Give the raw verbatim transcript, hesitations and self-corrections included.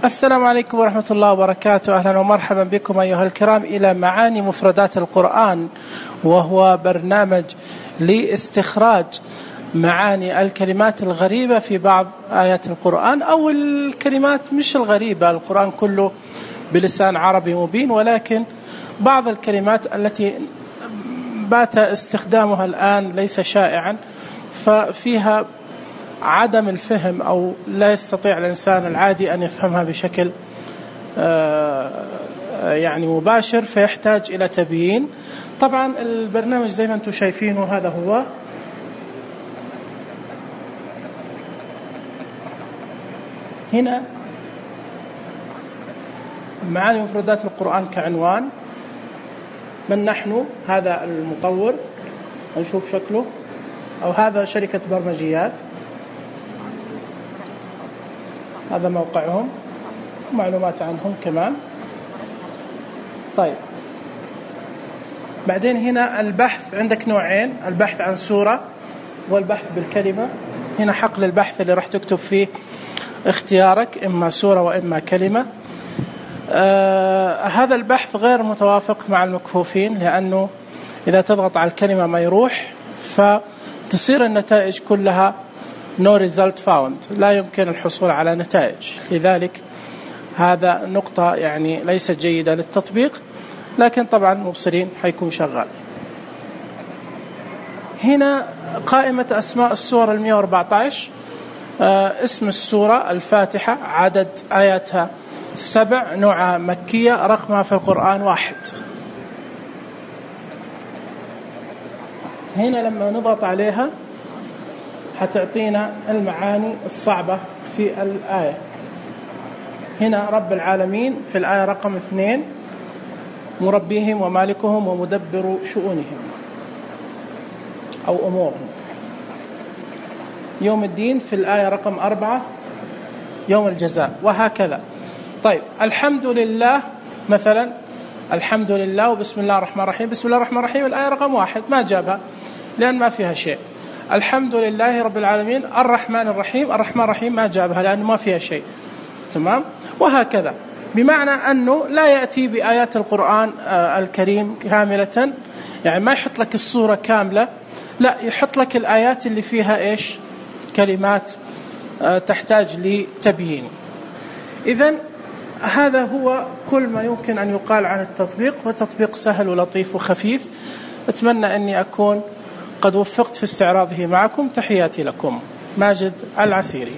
السلام عليكم ورحمة الله وبركاته. أهلا ومرحبا بكم أيها الكرام إلى معاني مفردات القرآن، وهو برنامج لاستخراج معاني الكلمات الغريبة في بعض آيات القرآن، أو الكلمات مش الغريبة، القرآن كله بلسان عربي مبين، ولكن بعض الكلمات التي بات استخدامها الآن ليس شائعا، ففيها عدم الفهم أو لا يستطيع الإنسان العادي أن يفهمها بشكل يعني مباشر، فيحتاج إلى تبيين. طبعا البرنامج زي ما أنتم شايفينه هذا هو. هنا معاني مفردات القرآن كعنوان. من نحن؟ هذا المطور، نشوف شكله، أو هذا شركة برمجيات، هذا موقعهم، معلومات عنهم كمان. طيب بعدين هنا البحث، عندك نوعين، البحث عن سورة والبحث بالكلمة. هنا حقل البحث اللي راح تكتب فيه اختيارك، إما سورة وإما كلمة. آه هذا البحث غير متوافق مع المكفوفين، لأنه إذا تضغط على الكلمة ما يروح، فتصير النتائج كلها no result found، لا يمكن الحصول على نتائج. لذلك هذا نقطة يعني ليست جيدة للتطبيق، لكن طبعا مبصرين حيكون شغال. هنا قائمة أسماء السورة المئة وأربعة عشر. آه اسم السورة الفاتحة، عدد آياتها سبع، نوعها مكية، رقمها في القرآن واحد. هنا لما نضغط عليها حتعطينا المعاني الصعبة في الآية. هنا رب العالمين في الآية رقم اثنين، مربيهم ومالكهم ومدبر شؤونهم أو أمورهم. يوم الدين في الآية رقم أربعة، يوم الجزاء، وهكذا. طيب الحمد لله مثلا، الحمد لله وبسم الله الرحمن الرحيم، بسم الله الرحمن الرحيم الآية رقم واحد ما جابها لأن ما فيها شيء. الحمد لله رب العالمين الرحمن الرحيم، الرحمن الرحيم ما جابها لأنه ما فيها شيء. تمام؟ وهكذا، بمعنى أنه لا يأتي بآيات القرآن الكريم كاملة، يعني ما يحط لك الصورة كاملة، لا يحط لك الآيات اللي فيها إيش؟ كلمات تحتاج لتبيين. إذن هذا هو كل ما يمكن أن يقال عن التطبيق، وتطبيق سهل ولطيف وخفيف. أتمنى أني أكون قد وفقت في استعراضه معكم. تحياتي لكم، ماجد العسيري.